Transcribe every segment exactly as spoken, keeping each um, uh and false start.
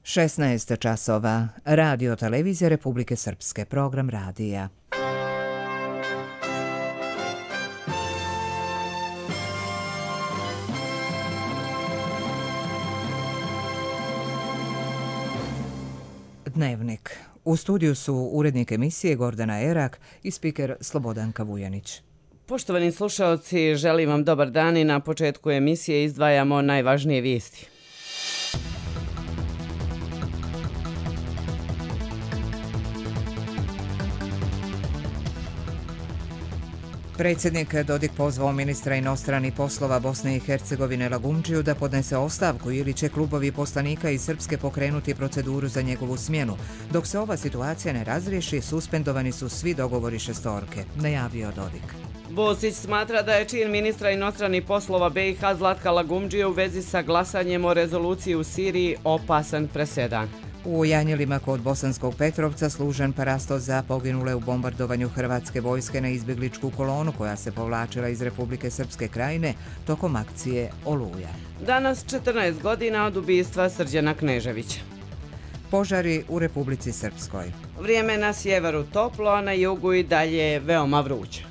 šesnaest časova. Radio televizija Republike Srpske. Program radija. Dnevnik. U studiju su urednik emisije Gordana Erak i spiker Slobodanka Vujanić. Poštovani slušalci, želim vam dobar dan i na početku emisije izdvajamo najvažnije vijesti. Predsjednik Dodik pozvao ministra inostranih poslova Bosne i Hercegovine Lagumdžiju da podnese ostavku ili će klubovi poslanika iz Srpske pokrenuti proceduru za njegovu smjenu. Dok se ova situacija ne razriješi, suspendovani su svi dogovori šestorke, najavio Dodik. Bosić smatra da je čin ministra inostranih poslova B i H Zlatka Lagumdžije u vezi sa glasanjem o rezoluciji u Siriji opasan presedan. U Janjelima kod Bosanskog Petrovca služen parasto za poginule u bombardovanju hrvatske vojske na izbjegličku kolonu koja se povlačila iz Republike Srpske Krajine tokom akcije Oluja. Danas četrnaest godina od ubistva Srđana Kneževića. Požari u Republici Srpskoj. Vrijeme na sjeveru toplo, a na jugu i dalje veoma vruće.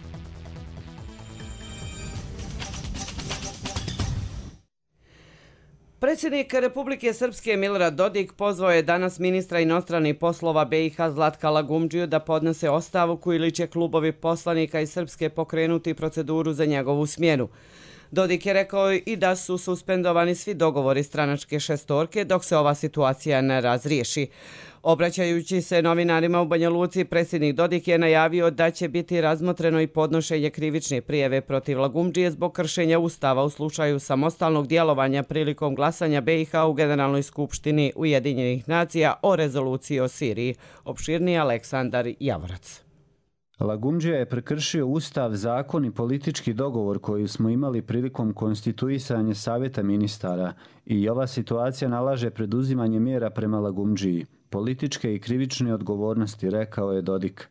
Predsjednik Republike Srpske Milorad Dodik pozvao je danas ministra inostranih poslova B i H Zlatka Lagumdžiju da podnese ostavku ili će klubovi poslanika iz Srpske pokrenuti proceduru za njegovu smjenu. Dodik je rekao i da su suspendovani svi dogovori stranačke šestorke dok se ova situacija ne razriješi. Obraćajući se novinarima u Banja Luci, predsjednik Dodik je najavio da će biti razmotreno i podnošenje krivične prijave protiv Lagumdžije zbog kršenja Ustava u slučaju samostalnog djelovanja prilikom glasanja B i H u Generalnoj skupštini Ujedinjenih nacija o rezoluciji o Siriji. Opširniji Aleksandar Javorac. Lagumdžija je prekršio Ustav, zakon i politički dogovor koji smo imali prilikom konstituisanja Savjeta ministara i ova situacija nalaže preduzimanje mjera prema Lagumdžiji, političke i krivične odgovornosti, rekao je Dodik.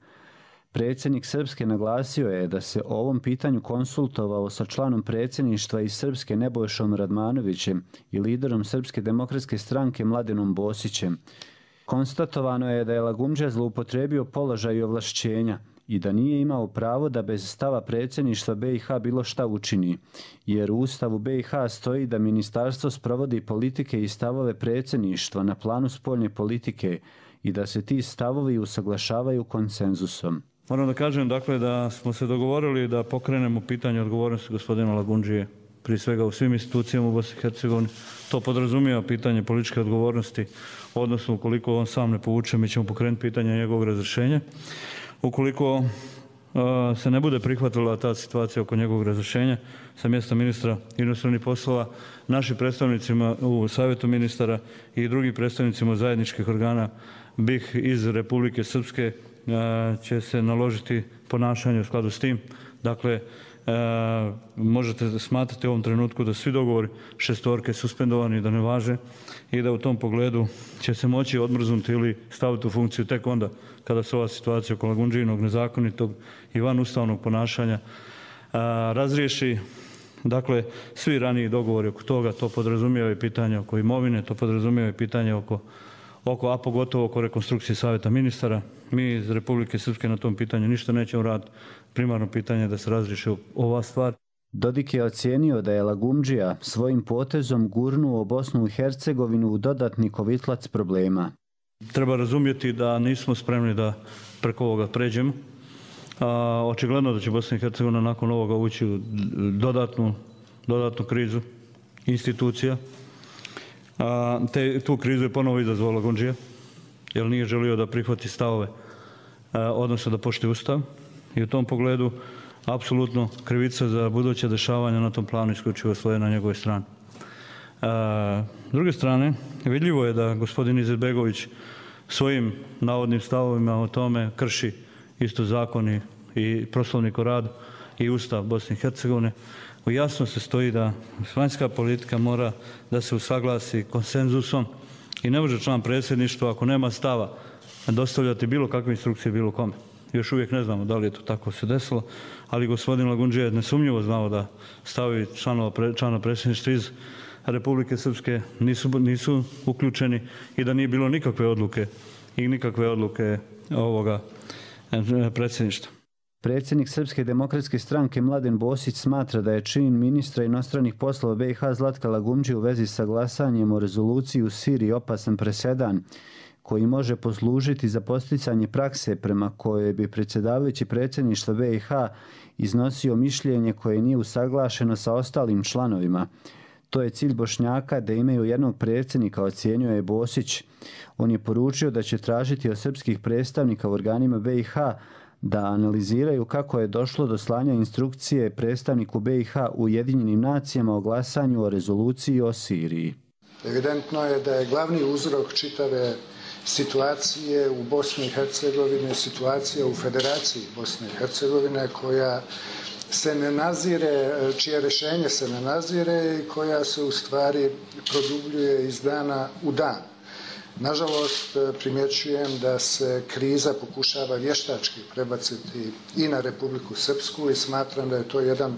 Predsjednik Srpske naglasio je da se o ovom pitanju konsultovao sa članom predsjedništva iz Srpske Nebojšom Radmanovićem i liderom Srpske demokratske stranke Mladenom Bosićem. Konstatovano je da je Lagumdžija zloupotrijebio položaj i ovlašćenja i da nije imao pravo da bez stava predsjedništva B i H bilo šta učini, jer u Ustavu B i H stoji da ministarstvo sprovodi politike i stavove predsjedništva na planu spoljne politike i da se ti stavovi usaglašavaju konsenzusom. Moram da kažem dakle da smo se dogovorili da pokrenemo pitanje odgovornosti gospodina Lagumdžije, prije svega u svim institucijama u Bosni i Hercegovini. To podrazumijeva pitanje političke odgovornosti, odnosno ukoliko on sam ne povuče, mi ćemo pokrenuti pitanje njegovog razrješenja. Ukoliko uh, se ne bude prihvatila ta situacija oko njegovog razrješenja sa mjesta ministra inostranih poslova, naši predstavnicima u Savjetu ministara i drugim predstavnicima zajedničkih organa B i H iz Republike Srpske uh, će se naložiti ponašanje u skladu s tim. Dakle, uh, možete smatrati u ovom trenutku da svi dogovori šestorke suspendovani, da ne važe i da u tom pogledu će se moći odmrznuti ili staviti u funkciju tek onda kada se ova situacija oko Lagumdžijinog nezakonitog i van ustavnog ponašanja a, razriješi. Dakle, svi raniji dogovori oko toga, to podrazumijeva i pitanje oko imovine, to podrazumijeva i pitanje oko, oko, a pogotovo oko rekonstrukcije Savjeta ministara. Mi iz Republike Srpske na tom pitanju ništa nećemo raditi. Primarno pitanje je da se razriješi ova stvar. Dodik je ocijenio da je Lagumdžija svojim potezom gurnuo Bosnu i Hercegovinu u dodatni kovitlac problema. Treba razumjeti da nismo spremni da preko ovoga pređemo. A, očigledno da će Bosna i Hercegovina nakon ovoga ući u dodatnu, dodatnu krizu institucija. A, te, tu krizu je ponovo izazvao Lagumdžija, jer nije želio da prihvati stavove, a, odnosno da poštuje Ustav. I u tom pogledu apsolutno krivica za buduće dešavanja na tom planu isključivo svoje na njegove strane. S druge strane, vidljivo je da gospodin Izetbegović svojim navodnim stavovima o tome krši isto zakoni i Poslovnik o radu i Ustav Bosne i Hercegovine. Jasno se stoji da vanjska politika mora da se usaglasi konsenzusom i ne može član predsjedništva ako nema stava dostavljati bilo kakve instrukcije bilo kome. Još uvijek ne znamo da li je to tako se desilo, ali gospodin Lagumdžija je nesumnjivo znao da stavi članova člana predsjedništva iz Republike Srpske nisu, nisu uključeni i da nije bilo nikakve odluke i nikakve odluke ovoga predsjedništva. Predsjednik Srpske demokratske stranke Mladen Bosić smatra da je čin ministra inostranih poslova B i H Zlatka Lagumdžije u vezi sa glasanjem o rezoluciji u Siriji opasan presedan koji može poslužiti za posticanje prakse prema kojoj bi predsjedavajući predsjedništva B i H iznosio mišljenje koje nije usaglašeno sa ostalim članovima. To je cilj Bošnjaka da imaju jednog predsjednika, ocjenjuje Bosić. On je poručio da će tražiti od srpskih predstavnika u organima B i H da analiziraju kako je došlo do slanja instrukcije predstavniku B i H u Ujedinjenim nacijama o glasanju o rezoluciji o Siriji. Evidentno je da je glavni uzrok čitave situacije u Bosni i Hercegovini, situacija u Federaciji Bosne i Hercegovine koja se ne nazire, čije rješenje se ne nazire i koja se u stvari produbljuje iz dana u dan. Nažalost, primjećujem da se kriza pokušava vještački prebaciti i na Republiku Srpsku i smatram da je to jedan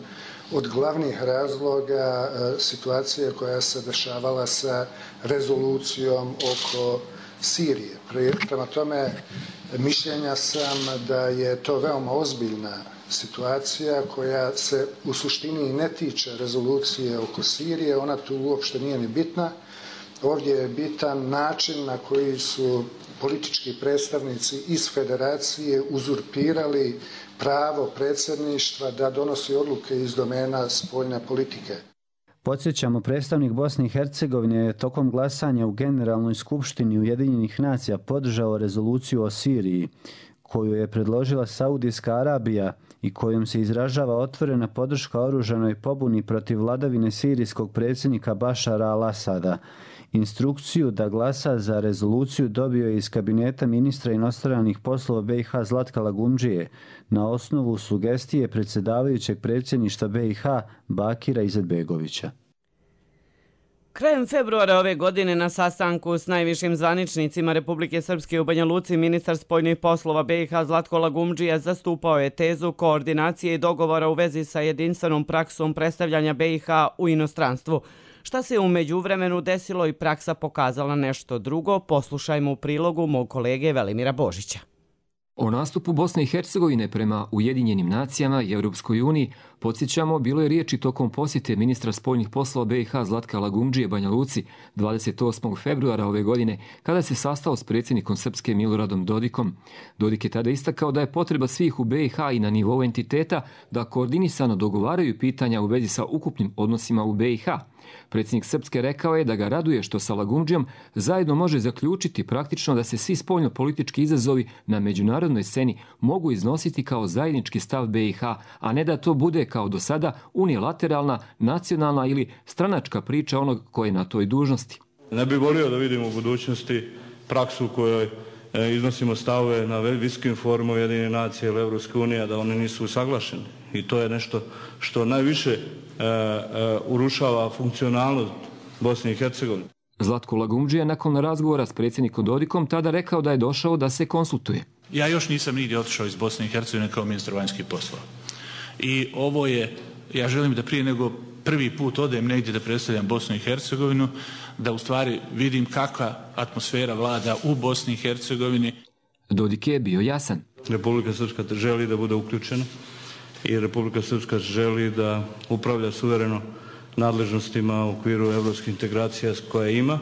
od glavnih razloga situacije koja se dešavala sa rezolucijom oko Sirije. Prema tome, mišljenja sam da je to veoma ozbiljna situacija koja se u suštini ne tiče rezolucije oko Sirije, ona tu uopšte nije ni bitna. Ovdje je bitan način na koji su politički predstavnici iz federacije uzurpirali pravo predsjedništva da donosi odluke iz domena spoljne politike. Podsjećamo, predstavnik Bosne i Hercegovine je tokom glasanja u Generalnoj skupštini Ujedinjenih nacija podržao rezoluciju o Siriji, koju je predložila Saudijska Arabija i kojom se izražava otvorena podrška oružanoj pobuni protiv vladavine sirijskog predsjednika Bašara al-Asada. Instrukciju da glasa za rezoluciju dobio je iz kabineta ministra inostranih poslova B i H Zlatka Lagumdžije na osnovu sugestije predsjedavajućeg predsjedništva B i H Bakira Izetbegovića. Krajem februara ove godine na sastanku s najvišim zvaničnicima Republike Srpske u Banja Luci ministar spoljnih poslova B i H Zlatko Lagumdžija zastupao je tezu koordinacije i dogovora u vezi sa jedinstvenom praksom predstavljanja B i H u inostranstvu. Šta se u međuvremenu desilo i praksa pokazala nešto drugo, poslušajmo u prilogu mog kolege Velimira Božića. O nastupu Bosne i Hercegovine prema Ujedinjenim nacijama i Europskoj uniji, podsjećamo, bilo je riječi tokom posjete ministra spoljnih poslova B i H Zlatka Lagumdžije Banja Luci dvadeset osmog februara ove godine, kada se sastao s predsjednikom Srpske Miloradom Dodikom. Dodik je tada istakao da je potreba svih u B i H i na nivou entiteta da koordinisano dogovaraju pitanja u vezi sa ukupnim odnosima u B i H. Predsjednik Srpske rekao je da ga raduje što sa Lagumdžijom zajedno može zaključiti praktično da se svi spoljno-politički izazovi na međunarodnoj sceni mogu iznositi kao zajednički stav B i H, a ne da to bude kao do sada unilateralna, nacionalna ili stranačka priča onog koji je na toj dužnosti. Ne bih volio da vidimo u budućnosti praksu u kojoj iznosimo stavove na visokim forumima Ujedinjenih nacija ili Europske unije, da one nisu usaglašene. I to je nešto što najviše e, e, urušava funkcionalnost Bosne i Hercegovine. Zlatko Lagumdžija nakon razgovora s predsjednikom Dodikom tada rekao da je došao da se konsultuje. Ja još nisam nigdje otišao iz Bosne i Hercegovine kao ministar vanjskih poslova. I ovo je, ja želim da prije nego prvi put odem negdje da predstavljam Bosnu i Hercegovinu, da u stvari vidim kakva atmosfera vlada u Bosni i Hercegovini. Dodik je bio jasan. Republika Srpska želi da bude uključena i Republika Srpska želi da upravlja suvereno nadležnostima u okviru evropskih integracija koje ima,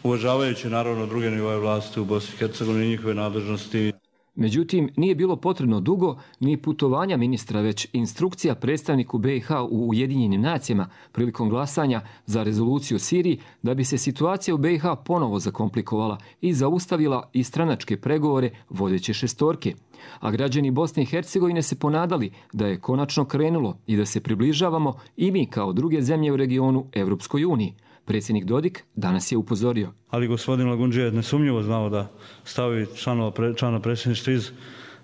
uvažavajući naravno druge nivoje vlasti u Bosni i Hercegovini i njihove nadležnosti. Međutim, nije bilo potrebno dugo ni putovanja ministra, već instrukcija predstavniku B i H u Ujedinjenim nacijama prilikom glasanja za rezoluciju o Siriji da bi se situacija u B i H ponovo zakomplikovala i zaustavila i stranačke pregovore vodeće šestorke. A građani Bosne i Hercegovine se ponadali da je konačno krenulo i da se približavamo i mi kao druge zemlje u regionu Evropskoj uniji. Predsjednik Dodik danas je upozorio. Ali gospodin Lagumdžija je nesumnjivo znao da stavi članova člana predsjedništva iz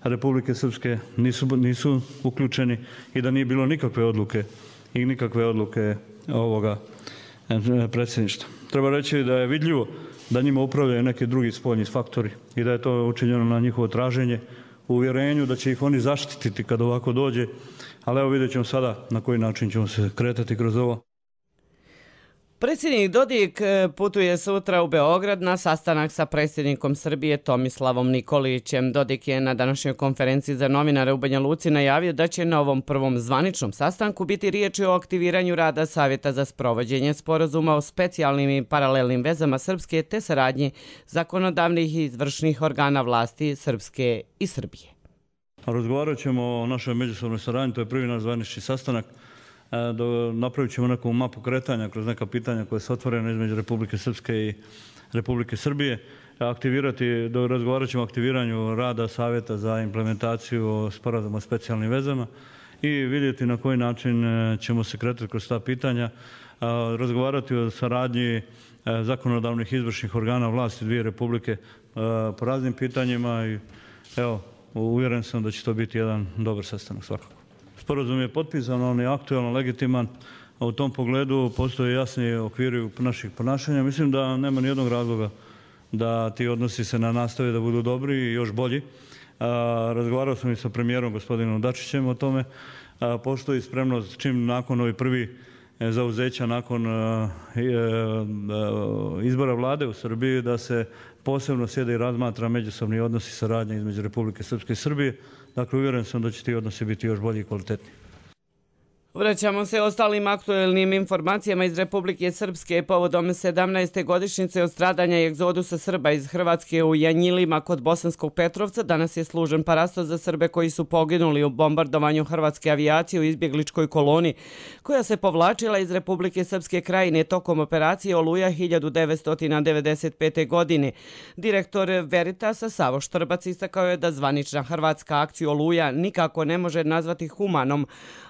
Republike Srpske nisu, nisu uključeni i da nije bilo nikakve odluke i nikakve odluke ovoga predsjedništva. Treba reći da je vidljivo da njima upravljaju neki drugi spoljni faktori i da je to učinjeno na njihovo traženje u uvjerenju da će ih oni zaštititi kad ovako dođe, ali evo vidjet ćemo sada na koji način ćemo se kretati kroz ovo. Predsjednik Dodik putuje sutra u Beograd na sastanak sa predsjednikom Srbije Tomislavom Nikolićem. Dodik je na današnjoj konferenciji za novinare u Banja Luci najavio da će na ovom prvom zvaničnom sastanku biti riječi o aktiviranju rada Savjeta za sprovođenje sporazuma o specijalnim i paralelnim vezama Srpske te saradnji zakonodavnih i izvršnih organa vlasti Srpske i Srbije. Razgovarat ćemo o našoj međusobnoj saradnji, to je prvi naš zvanični sastanak. Napravit ćemo neku mapu kretanja kroz neka pitanja koje su otvorene između Republike Srpske i Republike Srbije. Aktivirati, razgovarat ćemo o aktiviranju rada Savjeta za implementaciju sporazuma o specijalnim vezama i vidjeti na koji način ćemo se kretati kroz ta pitanja. Razgovarati o saradnji zakonodavnih i izvršnih organa vlasti dvije republike po raznim pitanjima i evo, uvjeren sam da će to biti jedan dobar sastanak svakako. Sporazum je potpisan, on je aktualno legitiman, a u tom pogledu postoje jasni okviri naših ponašanja. Mislim da nema nijednog razloga da ti odnosi se na nastave da budu dobri i još bolji. Razgovarao sam i sa premijerom gospodinom Dačićem o tome. Postoji spremnost čim nakon ovi prvi zauzeća, nakon izbora vlade u Srbiji, da se posebno sjede i razmatra međusobni odnosi i saradnje između Republike Srpske i Srbije. Dakle, uvjeren sam da će ti odnosi biti još bolji i kvalitetni. Vraćamo se ostalim aktuelnim informacijama iz Republike Srpske povodom sedamnaeste godišnjice od stradanja i egzodusa Srba iz Hrvatske u Janjilima kod Bosanskog Petrovca. Danas je služen parasto za Srbe koji su poginuli u bombardovanju hrvatske avijacije u izbjegličkoj koloni koja se povlačila iz Republike Srpske Krajine tokom operacije Oluja hiljadu devetsto devedeset pete. godine. Direktor Veritasa Savo Štrbac istakao je da zvanična hrvatska akcija Oluja nikako ne može nazvati humanom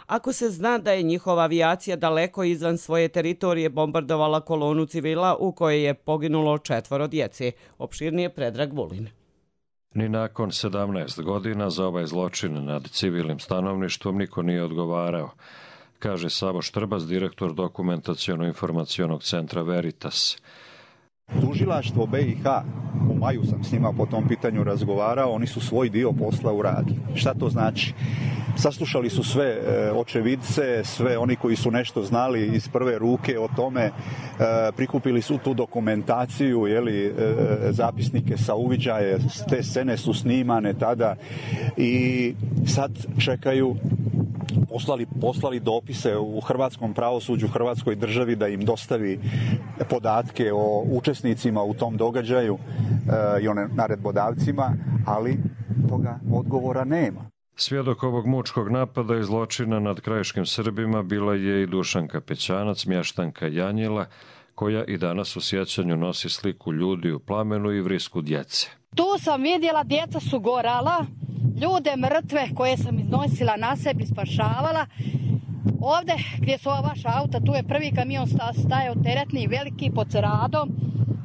ako se zna da je njihova avijacija daleko izvan svoje teritorije bombardovala kolonu civila u kojoj je poginulo četvoro djece. Opširnije Predrag Vulin. Ni nakon sedamnaest godina za ovaj zločin nad civilnim stanovništvom niko nije odgovarao, kaže Savo Štrbac, direktor dokumentaciono-informacionog centra Veritas. Tužilaštvo B i H, u maju sam s njima po tom pitanju razgovarao, oni su svoj dio posla uradili. Šta to znači? Saslušali su sve očevidce, sve oni koji su nešto znali iz prve ruke o tome, prikupili su tu dokumentaciju, jeli, zapisnike sa uviđaje, te scene su snimane tada i sad čekaju, poslali, poslali dopise u hrvatskom pravosuđu, hrvatskoj državi da im dostavi podatke o učesnicima u tom događaju i o naredbodavcima, ali toga odgovora nema. Svjedok ovog mučkog napada i zločina nad krajiškim Srbima bila je i Dušanka Pećanac, mještanka Janjila, koja i danas u sjećanju nosi sliku ljudi u plamenu i vrisku djece. Tu sam vidjela, djeca su gorala, ljude mrtve koje sam iznosila na sebi, spašavala. Ovdje gdje su ova vaša auta, tu je prvi kamion stajao teretni, veliki, pod Ceradom.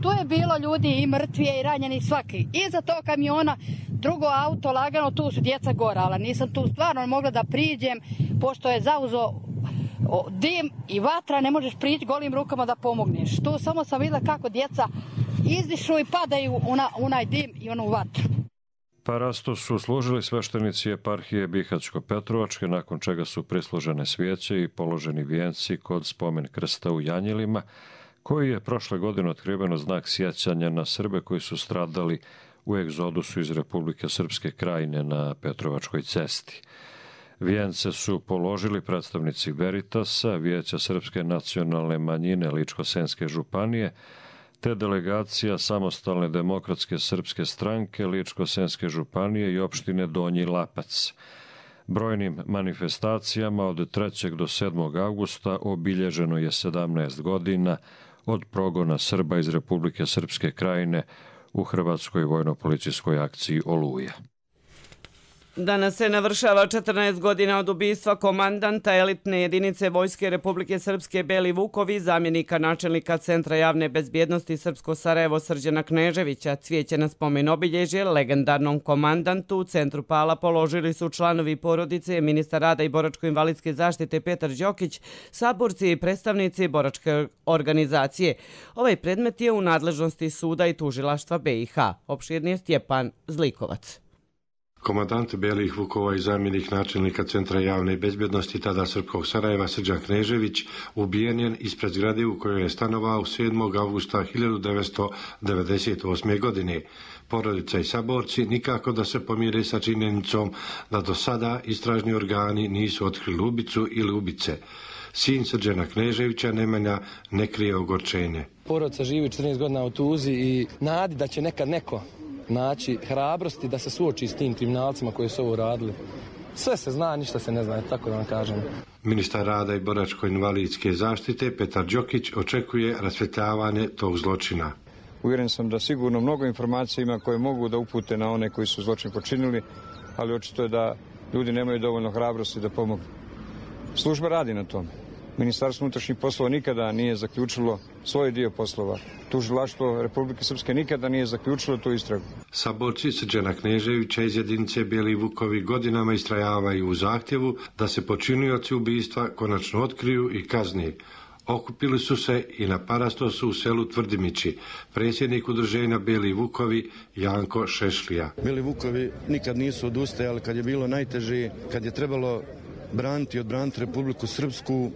Tu je bilo ljudi i mrtvije i ranjeni svaki. Iza tog kamiona drugo auto lagano, tu su djeca gorala. Nisam tu stvarno mogla da priđem, pošto je zauzo dim i vatra, ne možeš prići golim rukama da pomogneš. Tu samo sam vidjela kako djeca izdišu i padaju u onaj dim i onu vatru. Parasto su služili sveštenici eparhije Bihać-Petrovačke, nakon čega su prislužene svijeće i položeni vijenci kod spomen krsta u Janjilima, koji je prošle godine otkriveno znak sjećanja na Srbe koji su stradali u egzodusu iz Republike Srpske Krajine na Petrovačkoj cesti. Vijence su položili predstavnici Veritasa, Vijeća Srpske nacionalne manjine Ličko-senjske županije, te delegacija Samostalne demokratske srpske stranke Ličko-senjske županije i opštine Donji Lapac. Brojnim manifestacijama od trećeg do sedmog avgusta obilježeno je sedamnaest godina od progona Srba iz Republike Srpske Krajine u hrvatskoj vojno-policijskoj akciji Oluja. Danas se navršava četrnaest godina od ubistva komandanta elitne jedinice Vojske Republike Srpske Beli Vukovi, zamjenika načelnika Centra javne bezbjednosti Srpsko Sarajevo Srđana Kneževića. Cvijeće na spomen obilježje legendarnom komandantu u centru Pala položili su članovi porodice, ministar rada i boračko-invalidske zaštite Petar Đokić, saborci i predstavnici boračke organizacije. Ovaj predmet je u nadležnosti suda i tužilaštva B i H. Opširnije Stjepan Zlikovac. Komandant Belih Vukova i zamjenik načelnika Centra javne bezbjednosti tada Srpskog Sarajeva Srđan Knežević ubijen je ispred zgrade u kojoj je stanovao sedmog avgusta hiljadu devetsto devedeset osme. godine. Porodica i saborci nikako da se pomire sa činjenicom da do sada istražni organi nisu otkrili ubicu ili ubice. Sin Srđana Kneževića Nemanja ne krije ogorčenje. Porodica živi četrnaest godina u tuzi i nadi da će nekad neko naći hrabrosti da se suoči s tim kriminalcima koji su ovo radili. Sve se zna, ništa se ne zna, tako da vam kažem. Ministar rada i boračko-invalidske zaštite Petar Đokić očekuje rasvjetljavanje tog zločina. Uvjeren sam da sigurno mnogo informacija ima koje mogu da upute na one koji su zločin počinili, ali očito je da ljudi nemaju dovoljno hrabrosti da pomognu. Služba radi na tome. Ministarstvo unutrašnjih poslova nikada nije zaključilo svoj dio poslova. Tužilaštvo Republike Srpske nikada nije zaključilo tu istragu. Saborci Srđana Kneževića iz jedinice Beli Vukovi godinama istrajavaju u zahtjevu da se počinioci ubistva konačno otkriju i kazni. Okupili su se i na parastosu u selu Tvrdimići. Predsjednik udruženja Beli Vukovi Janko Šešlija. Beli Vukovi nikad nisu odustajali kad je bilo najteže, kad je trebalo braniti i odbraniti Republiku Srpsku,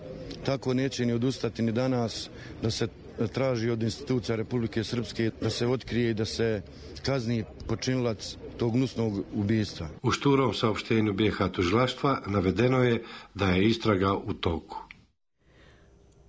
tako neće ni odustati ni danas da se traži od institucija Republike Srpske da se otkrije i da se kazni počinilac tog gnusnog ubijstva. U šturom saopštenju B H tužilaštva navedeno je da je istraga u toku.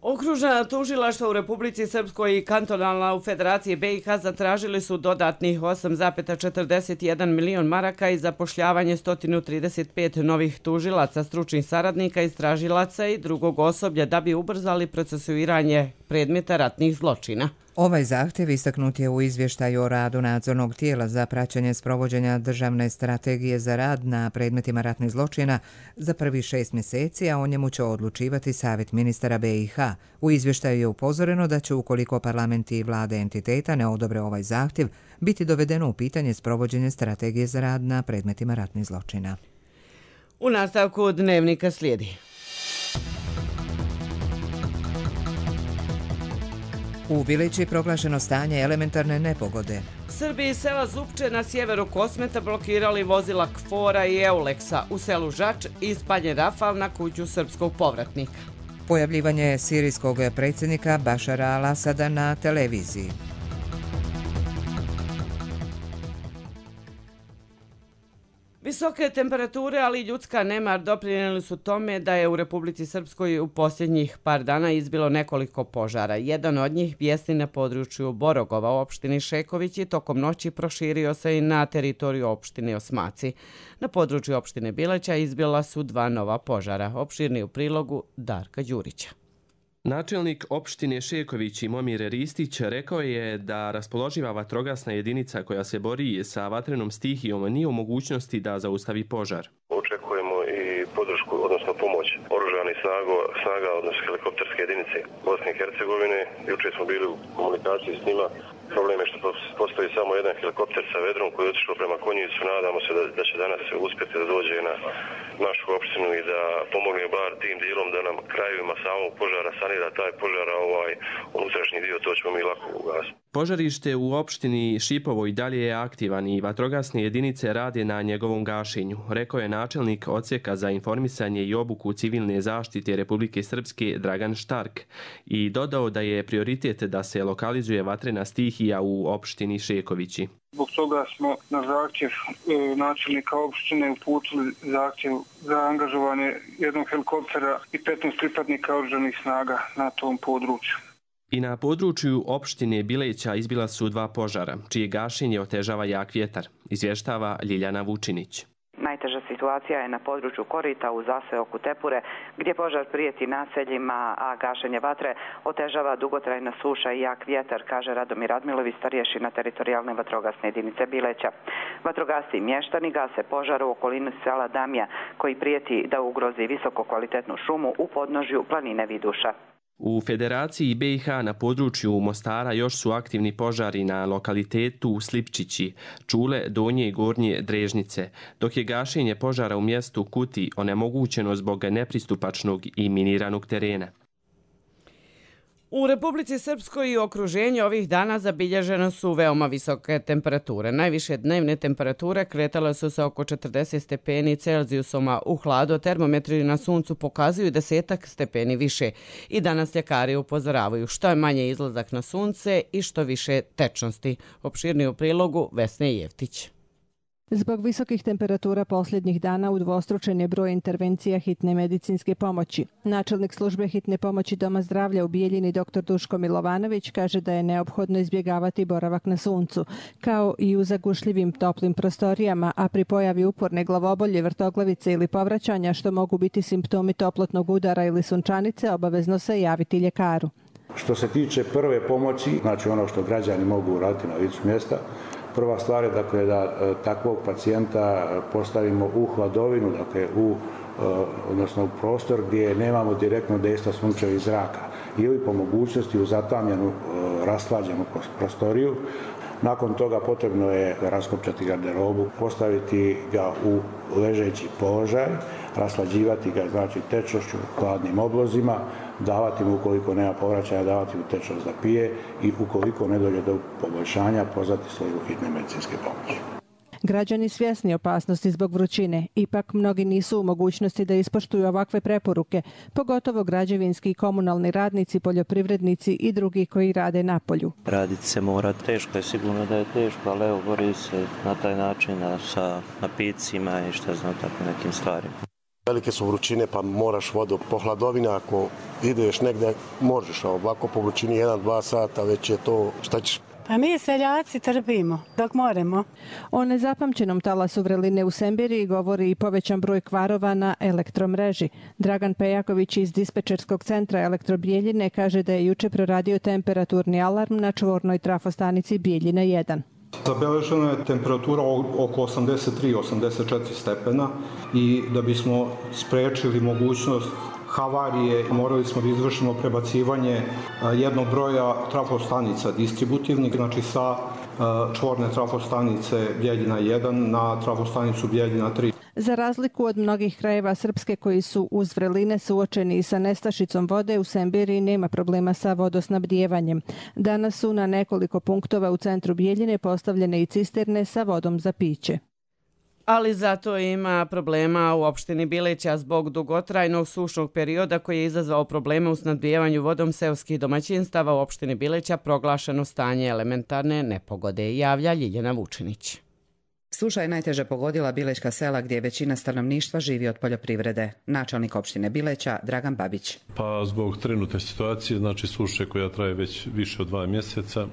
Okružna tužilaštva u Republici Srpskoj i kantonalna u Federaciji B i H zatražili su dodatnih osam zarez četrdeset jedan milion maraka i zapošljavanje sto trideset pet novih tužilaca, stručnih saradnika, istražilaca i drugog osoblja da bi ubrzali procesuiranje predmeta ratnih zločina. Ovaj zahtjev istaknut je u izvještaju o radu nadzornog tijela za praćenje sprovođenja državne strategije za rad na predmetima ratnih zločina za prvi šest mjeseci, a o njemu će odlučivati Savjet ministara B i H. U izvještaju je upozoreno da će, ukoliko parlamenti i vlade entiteta ne odobre ovaj zahtjev, biti dovedeno u pitanje sprovođenje strategije za rad na predmetima ratnih zločina. U nastavku dnevnika slijedi. U Bilići proglašeno stanje elementarne nepogode. Srbi iz sela Zupče na sjeveru Kosmeta blokirali vozila Kfora i Euleksa u selu Žač i ispaljen Rafal na kuću srpskog povratnika. Pojavljivanje sirijskog predsjednika Bašara al-Asada na televiziji. Visoke temperature, ali i ljudska nemar doprinijeli su tome da je u Republici Srpskoj u posljednjih par dana izbilo nekoliko požara. Jedan od njih bijesni na području Borogova u opštini Šeković i tokom noći proširio se i na teritoriju opštine Osmaci. Na području opštine Bileća izbila su dva nova požara. Opširni u prilogu Darka Đurića. Načelnik opštine Šeković i Momir Ristić rekao je da raspoloživa vatrogasna jedinica koja se bori sa vatrenom stihijom nije u mogućnosti da zaustavi požar. Očekujemo i podršku, odnosno pomoć oružanih snaga, snaga odnosno helikopterske jedinice Bosne i Hercegovine. Juče smo bili u komunikaciji s njima. Problem je što postoji samo jedan helikopter sa vedrom koji je otišao prema Konjicu. Nadamo se da, da će danas uspjeti da dođe na našu opštinu i da pomogne bar tim dijelom da nam krajevima samog požara sanira taj požar, a ovaj unutrašnji dio to ćemo mi lako ugasiti. Požarište u opštini Šipovo i dalje je aktivan i vatrogasne jedinice rade na njegovom gašenju, rekao je načelnik odsjeka za informisanje i obuku civilne zaštite Republike Srpske Dragan Štark i dodao da je prioritet da se lokalizuje vatrena stihija u opštini Šekovići. Zbog toga smo na zahtjev e, načelnika opštine uputili zahtjev za angažovanje jednog helikoptera i petnaest pripadnika oružanih snaga na tom području. I na području opštine Bileća izbila su dva požara, čije gašenje otežava jak vjetar, izvještava Ljiljana Vučinić. Najteža situacija je na području Korita u zaseoku Tepure, gdje požar prijeti naseljima, a gašenje vatre otežava dugotrajna suša i jak vjetar, kaže Radomir Radmilović, starješina teritorijalne vatrogasne jedinice Bileća. Vatrogasci i mještani gase požar u okolini sela Damja, koji prijeti da ugrozi visoko kvalitetnu šumu u podnožju planine Viduša. U Federaciji B i H na području Mostara još su aktivni požari na lokalitetu Slipčići, Čule, Donje i Gornje Drežnice, dok je gašenje požara u mjestu Kuti onemogućeno zbog nepristupačnog i miniranog terena. U Republici Srpskoj i okruženju ovih dana zabilježene su veoma visoke temperature. Najviše dnevne temperature kretale su se oko četrdeset stepeni Celzijusoma u hladu, termometri na suncu pokazuju desetak stepeni više. I danas ljekari upozoravaju što je manje izlazak na sunce i što više tečnosti. Opširniji u prilogu Vesne Jeftić. Zbog visokih temperatura posljednjih dana udvostručen je broj intervencija hitne medicinske pomoći. Načelnik službe hitne pomoći Doma zdravlja u Bijeljini dr Duško Milovanović kaže da je neophodno izbjegavati boravak na suncu, kao i u zagušljivim toplim prostorijama, a pri pojavi uporne glavobolje, vrtoglavice ili povraćanja što mogu biti simptomi toplotnog udara ili sunčanice, obavezno se javiti ljekaru. Što se tiče prve pomoći, znači ono što građani mogu uraditi na licu mjesta, prva stvar je dakle, da takvog pacijenta postavimo u hladovinu, dakle, u, odnosno u prostor gdje nemamo direktno dejstva sunčevih zraka ili po mogućnosti u zatamljenu rashlađenu prostoriju. Nakon toga potrebno je raskopčati garderobu, postaviti ga u ležeći položaj, raslađivati ga znači tečnošću, hladnim oblozima, davati mu ukoliko nema povraćaja, davati mu tečnost da pije i ukoliko ne dođe do poboljšanja, pozvati službu hitne medicinske pomoći. Građani svjesni opasnosti zbog vrućine, ipak mnogi nisu u mogućnosti da ispoštuju ovakve preporuke, pogotovo građevinski i komunalni radnici, poljoprivrednici i drugi koji rade na polju. Raditi se mora, teško je, sigurno da je teško, ali evo bori se na taj način sa napicima i šta znam tako nekim stvarima. Velike su vrućine pa moraš vodu po hladovini, ako ideš negdje možeš, a ovako po vrućini jedan do dva sata već je to šta ćeš. Pa mi seljaci trpimo dok moremo. O nezapamćenom talasu vreline u Semberiji govori i povećan broj kvarova na elektromreži. Dragan Pejaković iz dispečerskog centra Elektrobijeljine kaže da je juče proradio temperaturni alarm na čvornoj trafostanici Bijeljina jedan. Zabeležena je temperatura oko osamdeset tri do osamdeset četiri stepena i da bismo sprečili mogućnost havarije morali smo da izvršimo prebacivanje jednog broja trafostanica distributivnih, znači sa čvorne trafostanice Bijeljina jedan na trafostanicu Bijeljina tri. Za razliku od mnogih krajeva Srpske koji su uz vreline suočeni i sa nestašicom vode, u Semberiji nema problema sa vodosnabdijevanjem. Danas su na nekoliko punktova u centru Bijeljine postavljene i cisterne sa vodom za piće. Ali zato ima problema u opštini Bileća zbog dugotrajnog sušnog perioda koji je izazvao probleme u snabdijevanju vodom seoskih domaćinstava. U opštini Bileća proglašeno stanje elementarne nepogode, javlja Ljiljana Vučinić. Suša je najteže pogodila Bilečka sela gdje većina stanovništva živi od poljoprivrede. Načelnik opštine Bileća Dragan Babić. Pa zbog trenutne situacije, znači suše koja traje već više od dva mjeseca,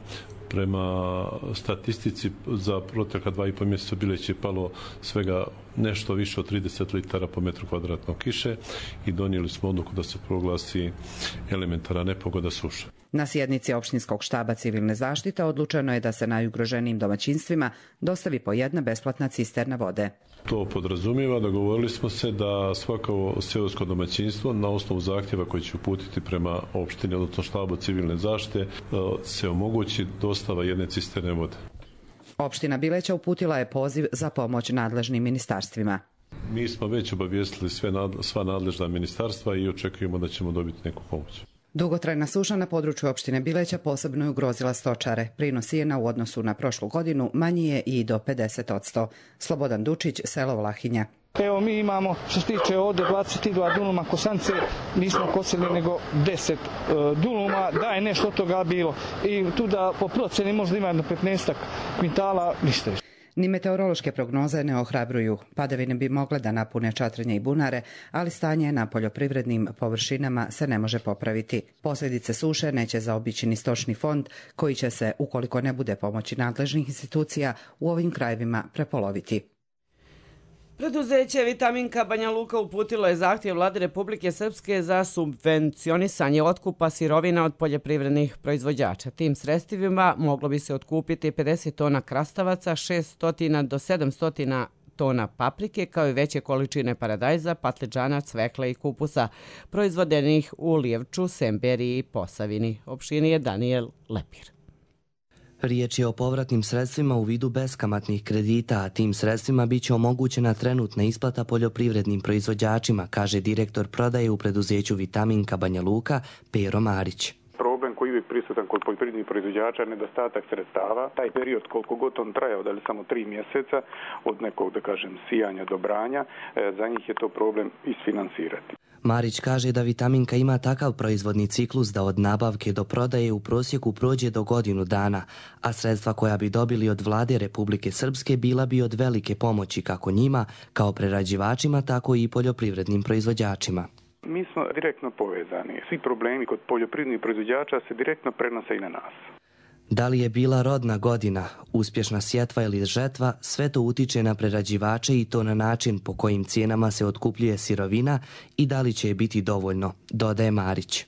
prema statistici za protekla dva i po mjeseca Bileć je palo svega nešto više od trideset litara po metru kvadratnog kiše i donijeli smo odluku da se proglasi elementarna nepogoda suša. Na sjednici opštinskog štaba civilne zaštite odlučeno je da se najugroženijim domaćinstvima dostavi po jedna besplatna cisterna vode. To podrazumijeva, dogovorili smo se da svako seosko domaćinstvo na osnovu zahtjeva koji će uputiti prema opštini, odnosno štabu civilne zaštite, se omogući dostava jedne cisterne vode. Opština Bileća uputila je poziv za pomoć nadležnim ministarstvima. Mi smo već obavijestili sve nadle, sva nadležna ministarstva i očekujemo da ćemo dobiti neku pomoć. Dugotrajna suša na području opštine Bileća posebno je ugrozila stočare. Prinos sijena u odnosu na prošlu godinu manji je i do pedeset odsto. Slobodan Dučić, selo Vlahinja. Evo mi imamo, što se tiče ovdje dvadeset dva duluma kosance, nismo kosili nego deset uh, duluma, da je nešto od toga bilo. I tu da po proceni možda ima do petnaest kvintala, ništa više. Ni meteorološke prognoze ne ohrabruju. Padavine bi mogle da napune čatrenje i bunare, ali stanje na poljoprivrednim površinama se ne može popraviti. Posljedice suše neće zaobići ni stočni fond, koji će se, ukoliko ne bude pomoći nadležnih institucija, u ovim krajevima prepoloviti. Preduzeće Vitaminka Banja Luka uputilo je zahtjev Vlade Republike Srpske za subvencionisanje otkupa sirovina od poljoprivrednih proizvođača. Tim sredstvima moglo bi se otkupiti pedeset tona krastavaca, šessto do sedamsto tona paprike, kao i veće količine paradajza, patliđana, cvekla i kupusa, proizvodenih u Lijevču, Semberiji i Posavini. Opštini je Daniel Lepir. Riječ je o povratnim sredstvima u vidu beskamatnih kredita, a tim sredstvima biće omogućena trenutna isplata poljoprivrednim proizvođačima, kaže direktor prodaje u preduzeću Vitaminka Banja Luka, Pero Marić. Problem uvijek prisutan kod poljoprivrednih proizvođača nedostatak sredstava. Taj period koliko god on trajao, da li samo tri mjeseca od nekog, da kažem, sijanja do branja, za njih je to problem isfinansirati. Marić kaže da vitaminka ima takav proizvodni ciklus da od nabavke do prodaje u prosjeku prođe do godinu dana, a sredstva koja bi dobili od vlade Republike Srpske bila bi od velike pomoći kako njima, kao prerađivačima, tako i poljoprivrednim proizvođačima. Mi smo direktno povezani. Svi problemi kod poljoprivrednih proizvođača se direktno prenose i na nas. Da li je bila rodna godina, uspješna sjetva ili žetva, sve to utiče na prerađivače i to na način po kojim cijenama se otkupljuje sirovina i da li će je biti dovoljno, dodaje Marić.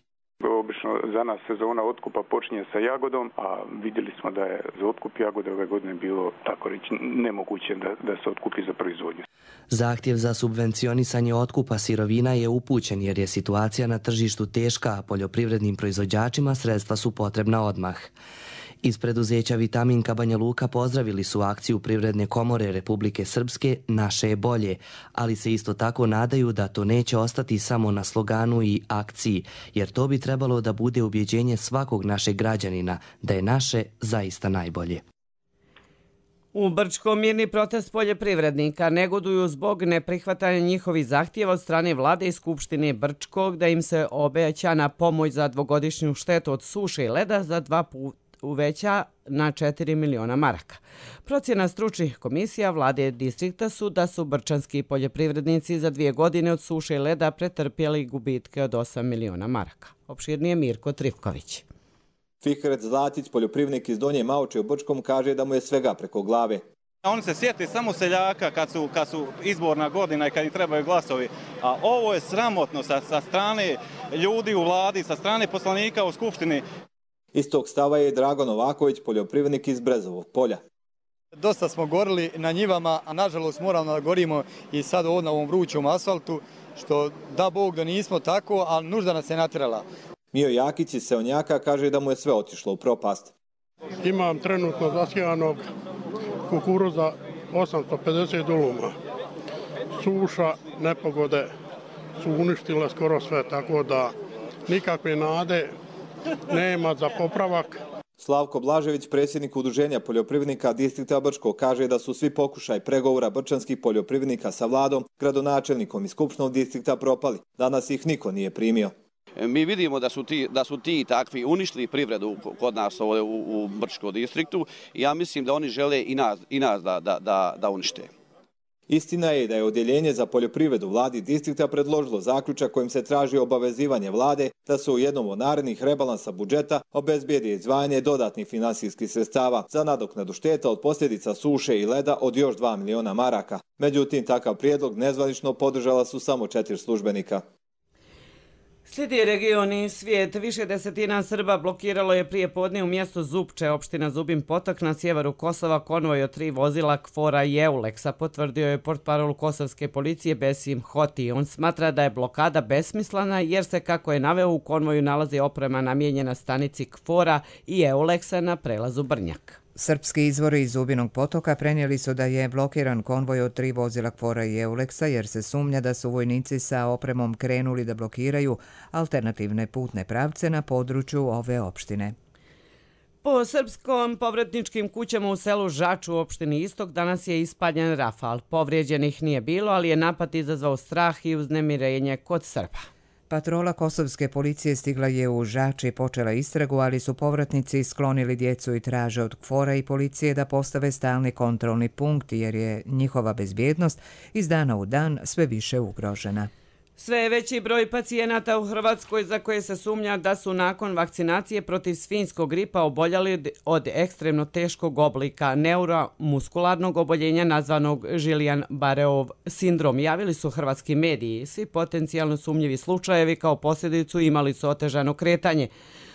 Obično za nas sezona otkupa počinje sa jagodom, a vidjeli smo da je za otkup jagode ove godine bilo, tako reći, nemoguće da, da se otkupi za proizvodnju. Zahtjev za subvencionisanje otkupa sirovina je upućen jer je situacija na tržištu teška, a poljoprivrednim proizvođačima sredstva su potrebna odmah. Iz preduzeća Vitaminka Banja Luka pozdravili su akciju Privredne komore Republike Srpske Naše je bolje, ali se isto tako nadaju da to neće ostati samo na sloganu i akciji, jer to bi trebalo da bude ubjeđenje svakog našeg građanina da je naše zaista najbolje. U Brčkom mirni protest poljoprivrednika negoduju zbog neprihvatanja njihovih zahtjeva od strane vlade i Skupštine Brčkog da im se obećana pomoć za dvogodišnju štetu od suše i leda za dva puta uveća na četiri miliona maraka. Procjena stručnih komisija vlade distrikta su da su brčanski poljoprivrednici za dvije godine od suše i leda pretrpjeli gubitke od osam miliona maraka. Opširnije Mirko Trifković. Fikret Zlatić, poljoprivrednik iz Donje Maoče u Brčkom, kaže da mu je svega preko glave. Oni se sjeti samo seljaka kad su, kad su izborna godina i kad im trebaju glasovi. A ovo je sramotno sa, sa strane ljudi u vladi, sa strane poslanika u Skupštini. Istog stava je Drago Novaković, poljoprivrednik iz Brezovog polja. Dosta smo gorili na njivama, a nažalost moramo da gorimo i sad ovdje na ovom vrućom asfaltu, što da Bog da nismo tako, ali nužda nas je natjerala. Mio Jakić iz Seonjaka kaže da mu je sve otišlo u propast. Imam trenutno zasijanog kukuruza osamsto pedeset duluma. Suša, nepogode su uništile skoro sve, tako da nikakve nade nema za popravak. Slavko Blažević, predsjednik Udruženja poljoprivrednika distrikta Brčko, kaže da su svi pokušaj pregovora brčanskih poljoprivrednika sa vladom, gradonačelnikom i skupštinom distrikta propali. Danas ih niko nije primio. Mi vidimo da su ti, da su ti takvi uništili privredu kod nas ovdje u, u Brčkom distriktu i ja mislim da oni žele i nas, i nas da, da, da, da unište. Istina je da je odjeljenje za poljoprivredu vladi distrikta predložilo zaključak kojim se traži obavezivanje vlade da se u jednom od narednih rebalansa budžeta obezbijedi izdvajanje dodatnih finansijskih sredstava za nadoknadu šteta od posljedica suše i leda od još dva miliona maraka. Međutim, takav prijedlog nezvanično podržala su samo četiri službenika. Slijedi region i svijet. Više desetina Srba blokiralo je prije podne u mjestu Zupče, opština Zubin Potok na sjeveru Kosova, konvoj od tri vozila Kfora i Euleksa, potvrdio je portparol kosovske policije Besim Hoti. On smatra da je blokada besmislena jer se, kako je naveo, u konvoju nalazi oprema namijenjena stanici Kfora i Euleksa na prelazu Brnjak. Srpski izvori iz Zubinog Potoka prenijeli su da je blokiran konvoj od tri vozila Kfora i Euleksa jer se sumnja da su vojnici sa opremom krenuli da blokiraju alternativne putne pravce na području ove opštine. Po srpskom povratničkim kućama u selu Žaču u opštini Istok danas je ispaljen rafal. Povrijeđenih nije bilo, ali je napad izazvao strah i uznemirenje kod Srba. Patrola kosovske policije stigla je u Žač i počela istragu, ali su povratnici sklonili djecu i traže od Kfora i policije da postave stalni kontrolni punkt jer je njihova bezbjednost iz dana u dan sve više ugrožena. Sve je veći broj pacijenata u Hrvatskoj za koje se sumnja da su nakon vakcinacije protiv svinjskog gripa oboljeli od ekstremno teškog oblika neuromuskularnog oboljenja nazvanog Guillain-Barréov sindrom, javili su hrvatski mediji. Svi potencijalno sumnjivi slučajevi kao posljedicu imali su otežano kretanje.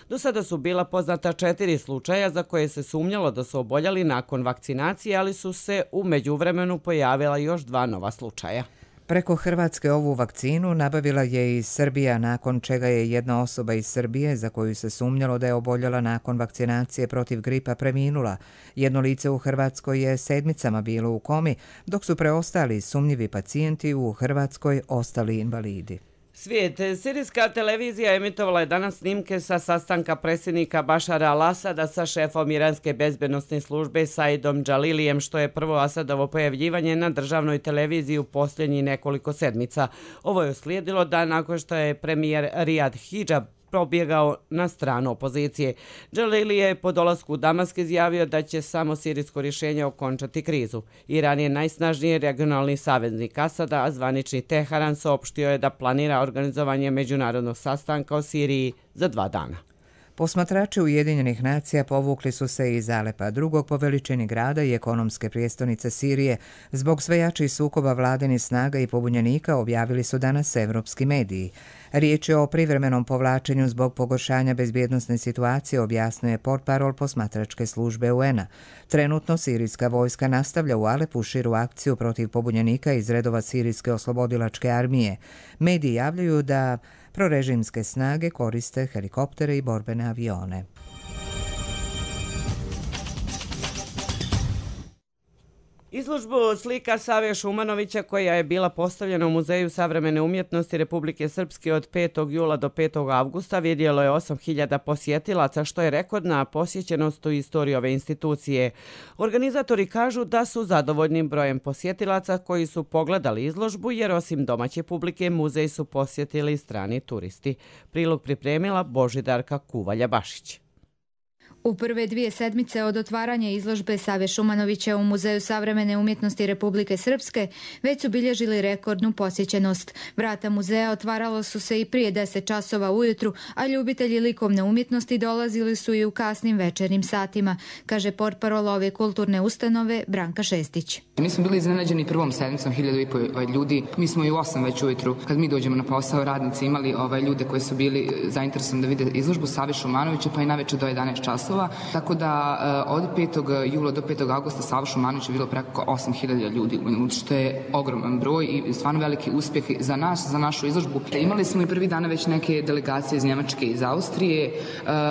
Do sada su bila poznata četiri slučaja za koje se sumnjalo da su oboljeli nakon vakcinacije, ali su se u međuvremenu pojavila još dva nova slučaja. Preko Hrvatske ovu vakcinu nabavila je i Srbija, nakon čega je jedna osoba iz Srbije, za koju se sumnjalo da je oboljela nakon vakcinacije protiv gripa, preminula. Jedno lice u Hrvatskoj je sedmicama bilo u komi, dok su preostali sumnjivi pacijenti u Hrvatskoj ostali invalidi. Svijet. Sirijska televizija emitovala je danas snimke sa sastanka predsjednika Bašara al-Asada sa šefom iranske bezbednosne službe Saidom Džalilijem, što je prvo Asadovo pojavljivanje na državnoj televiziji u posljednjih nekoliko sedmica. Ovo je uslijedilo dan nakon što je premijer Riyad Hijab probjegao na stranu opozicije. Džalili je po dolasku u Damask izjavio da će samo sirijsko rješenje okončati krizu. Iran je najsnažniji regionalni saveznik Asada, a zvanični Teheran saopštio je da planira organizovanje međunarodnog sastanka o Siriji za dva dana. Posmatrači Ujedinjenih nacija povukli su se iz Alepa, drugog po veličini grada i ekonomske prijestolnice Sirije. Zbog sve jačih sukoba vladinih snaga i pobunjenika, objavili su danas evropski mediji. Riječ je o privremenom povlačenju zbog pogoršanja bezbjednosne situacije, objasnuje portparol posmatračke službe U N-a. Trenutno sirijska vojska nastavlja u Alepu širu akciju protiv pobunjenika iz redova sirijske oslobodilačke armije. Mediji javljaju da prorežimske snage koriste helikoptere i borbene avione. Izložbu slika Save Šumanovića, koja je bila postavljena u Muzeju savremene umjetnosti Republike Srpske od petog jula do petog avgusta, vidjelo je osam hiljada posjetilaca, što je rekordna posjećenost u istoriji ove institucije. Organizatori kažu da su zadovoljnim brojem posjetilaca koji su pogledali izložbu, jer osim domaće publike muzej su posjetili strani turisti. Prilog pripremila Božidarka Kuvalja-Bašić. U prve dvije sedmice od otvaranja izložbe Save Šumanovića u Muzeju savremene umjetnosti Republike Srpske već su bilježili rekordnu posjećenost. Vrata muzeja otvaralo su se i prije deset časova ujutru, a ljubitelji likovne umjetnosti dolazili su i u kasnim večernjim satima, kaže portparol ove kulturne ustanove Branka Šestić. Mi smo bili iznenađeni prvom sedmicom, hiljadu i po ljudi. Mi smo i u osam već ujutru, kad mi dođemo na posao, radnici imali ovaj, ljude koji su bili zainteresovani da vide izložbu Save Šumanovića, pa i najveće do jedanaest časova. Tako da od petog jula do petog avgusta Sava Šumanovića je bilo preko osam hiljada ljudi, što je ogroman broj i stvarno veliki uspjeh za nas, za našu izložbu. Imali smo i prvi dana već neke delegacije iz Njemačke i iz Austrije,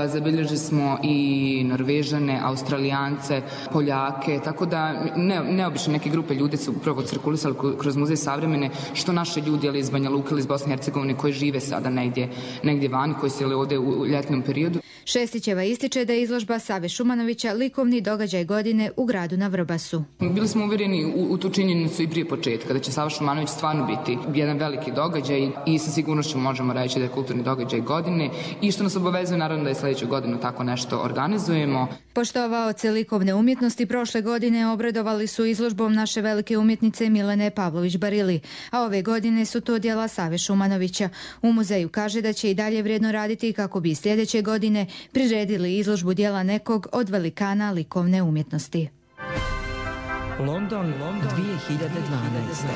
zabilježili smo i Norvežane, Australijance, Poljake, tako da ne, neobično neke grupe ljudi su upravo cirkulisali kroz Muzej savremene, što naše ljudi, ali iz Banja Luke ili iz Bosne i Hercegovine, koji žive sada negdje, negdje vani, koji su ovdje u ljetnom periodu. Šestićeva ističe da je izložba Save Šumanovića likovni događaj godine u gradu na Vrbasu. Bili smo uvjereni u, u tu činjenicu i prije početka, da će Sava Šumanović stvarno biti jedan veliki događaj i sa sigurnošću možemo reći da je kulturni događaj godine i što nas obavezuje naravno da je sljedeću godinu tako nešto organizujemo. Poštovaoci likovne umjetnosti prošle godine obradovali su izložbom naše velike umjetnice Milene Pavlović-Barili, a ove godine su to djela Save Šumanovića. U muzeju kaže da će i dalje vrijedno raditi kako bi sljedeće godine priredili izložbu djela nekog od velikana likovne umjetnosti. London, London dvije hiljade dvanaeste.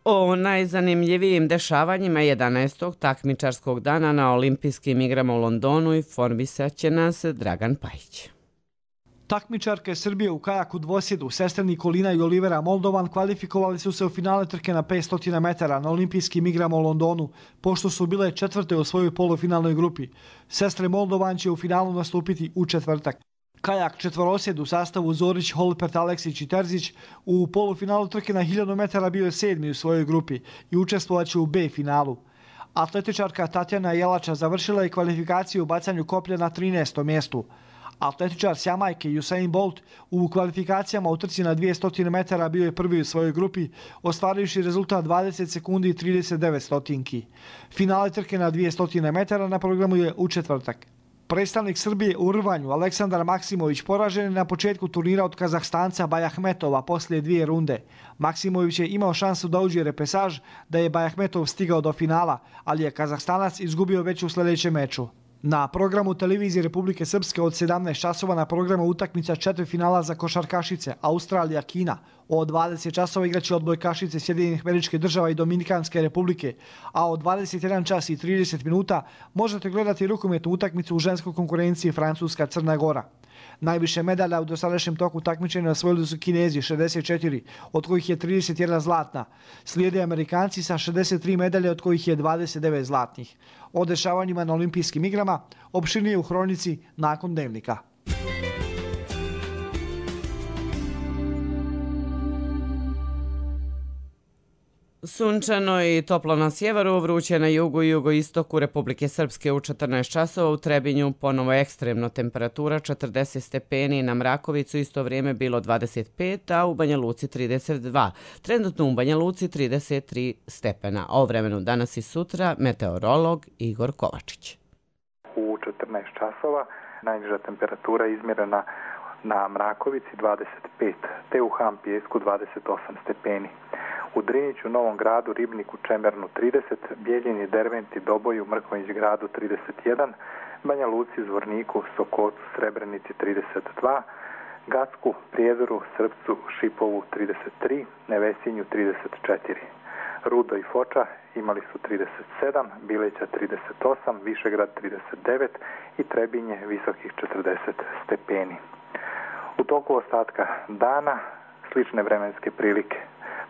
O najzanimljivijim dešavanjima jedanaestog takmičarskog dana na olimpijskim igrama u Londonu informisat će nas Dragan Pajić. Takmičarke Srbije u kajaku dvosjedu, sestre Nikolina i Olivera Moldovan, kvalifikovali su se u finale trke na petsto metara na olimpijskim igrama u Londonu, pošto su bile četvrte u svojoj polufinalnoj grupi. Sestre Moldovan će u finalu nastupiti u četvrtak. Kajak četvorosjed u sastavu Zorić, Holpert, Aleksić i Terzić u polufinalu trke na hiljadu metara bio je sedmi u svojoj grupi i učestvovaće u B finalu. Atletičarka Tatjana Jelača završila je kvalifikaciju u bacanju koplja na trinaestom mjestu. Atletičar s Jamajke Usain Bolt u kvalifikacijama u trci na dvjesto metara bio je prvi u svojoj grupi, ostvarivši rezultat dvadeset sekundi i trideset devet stotinki. Finale trke na dvjesto metara na programu je u četvrtak. Predstavnik Srbije u rvanju Aleksandar Maksimović poražen je na početku turnira od Kazahstanca Bajahmetova poslije dvije runde. Maksimović je imao šansu da uđe repesaž, da je Bajahmetov stigao do finala, ali je Kazahstanac izgubio već u sljedećem meču. Na programu televizije Republike Srpske od sedamnaest časova na programu utakmica četiri finala za košarkašice Australija-Kina. Od dvadeset časova igraće odbojkašice Sjedinjenih Američkih Država i Dominikanske Republike, a od dvadeset jedan čas i trideset minuta možete gledati rukometnu utakmicu u ženskoj konkurenciji Francuska-Crna Gora. Najviše medalja u dosadašnjem toku takmičenja osvojili su Kinezi šezdeset četiri, od kojih je trideset jedna zlatna. Slijede Amerikanci sa šezdeset tri medalje, od kojih je dvadeset devet zlatnih. O dešavanjima na olimpijskim igrama opširnije u hronici nakon dnevnika. Sunčano i toplo na sjeveru, vruće na jugu i jugoistoku Republike Srpske u četrnaest časova, u Trebinju ponovo ekstremno, temperatura četrdeset stepeni, na Mrakovicu isto vrijeme bilo dvadeset pet, a u Banja Luci trideset dva. Trenutno u Banja Luci trideset tri stepena. O vremenu danas i sutra meteorolog Igor Kovačić. U četrnaest časova najniža temperatura izmjerena na Mrakovici dvadeset pet, te u Han Pijesku dvadeset osam stepeni. U Driniću, Novom Gradu, Ribniku, Čemernu trideset, Bijeljini, Derventi, Doboju, Mrkonjić Gradu trideset jedan, Banja Luci, Zvorniku, Sokocu, Srebrenici trideset dva, Gacku, Prijedoru, Srpcu, Šipovu trideset tri, Nevesinju trideset četiri. Rudo i Foča imali su trideset sedam, Bileća trideset osam, Višegrad trideset devet i Trebinje visokih četrdeset stepeni. U toku ostatka dana slične vremenske prilike.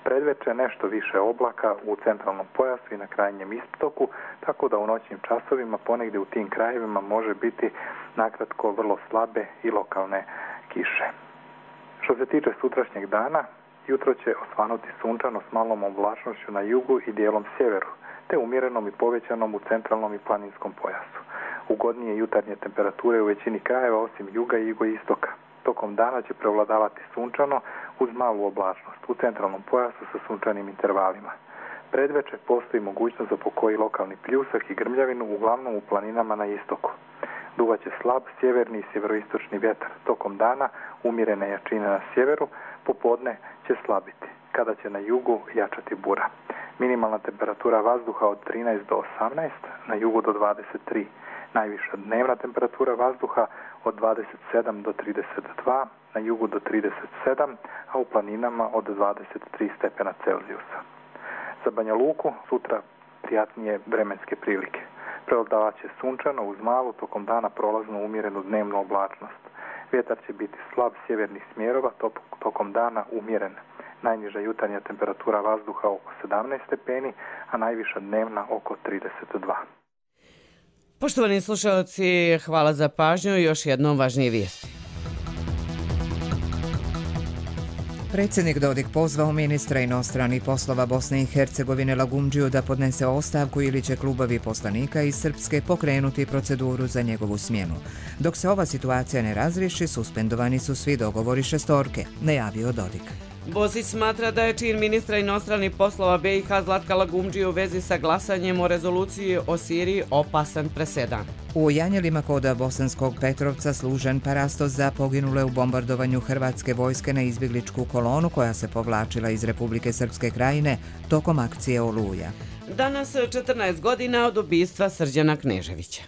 Predveče nešto više oblaka u centralnom pojasu i na krajnjem istoku, tako da u noćnim časovima ponegdje u tim krajevima može biti nakratko vrlo slabe i lokalne kiše. Što se tiče sutrašnjeg dana, jutro će osvanuti sunčano s malom oblačnošću na jugu i dijelom sjeveru, te umjerenom i povećanom u centralnom i planinskom pojasu. Ugodnije jutarnje temperature u većini krajeva osim juga i jugoistoka. Tokom dana će prevladavati sunčano uz malu oblačnost u centralnom pojasu sa sunčanim intervalima. Predveče postoji mogućnost za pokoji lokalni pljusak i grmljavinu, uglavnom u planinama na istoku. Duvaće slab sjeverni i sjeveroistočni vjetar. Tokom dana umjerene jačine na sjeveru, popodne će slabiti, kada će na jugu jačati bura. Minimalna temperatura vazduha od trinaest do osamnaest, na jugu do dvadeset tri. Najviša dnevna temperatura vazduha od dvadeset sedam do trideset dva, na jugu do trideset sedam, a u planinama od dvadeset tri stepena Celzijusa. Za Banja Luku sutra prijatnije vremenske prilike. Prevladavaće sunčano uz malu, tokom dana prolazno umjerenu dnevnu oblačnost. Vjetar će biti slab sjevernih smjerova, tokom dana umjeren. Najniža jutarnja temperatura vazduha oko sedamnaest stepeni, a najviša dnevna oko trideset dva. Poštovani slušalci, hvala za pažnju i još jednom važnije vijesti. Predsjednik Dodik pozvao ministra inostranih poslova Bosne i Hercegovine Lagumdžiju da podnese ostavku ili će klubovi poslanika iz Srpske pokrenuti proceduru za njegovu smjenu. Dok se ova situacija ne razriješi, suspendovani su svi dogovori šestorke, najavio Dodik. Bosić smatra da je čin ministra inostranih poslova B i H Zlatka Lagumdžije u vezi sa glasanjem o rezoluciji o Siriji opasan presedan. U Janjelima kod Bosanskog Petrovca služen parastos za poginule u bombardovanju hrvatske vojske na izbjegličku kolonu koja se povlačila iz Republike Srpske krajine tokom akcije Oluja. Danas četrnaest godina od ubistva Srđana Kneževića.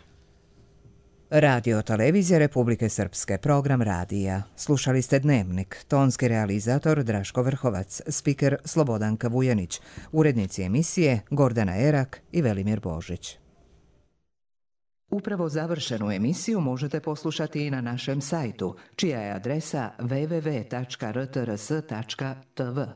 Radio Televizija Republike Srpske, program radija. Slušali ste Dnevnik, tonski realizator Draško Vrhovac, spiker Slobodanka Vujanić, urednici emisije Gordana Erak i Velimir Božić. Upravo završenu emisiju možete poslušati i na našem sajtu, čija je adresa w w w tačka r t r s tačka t v.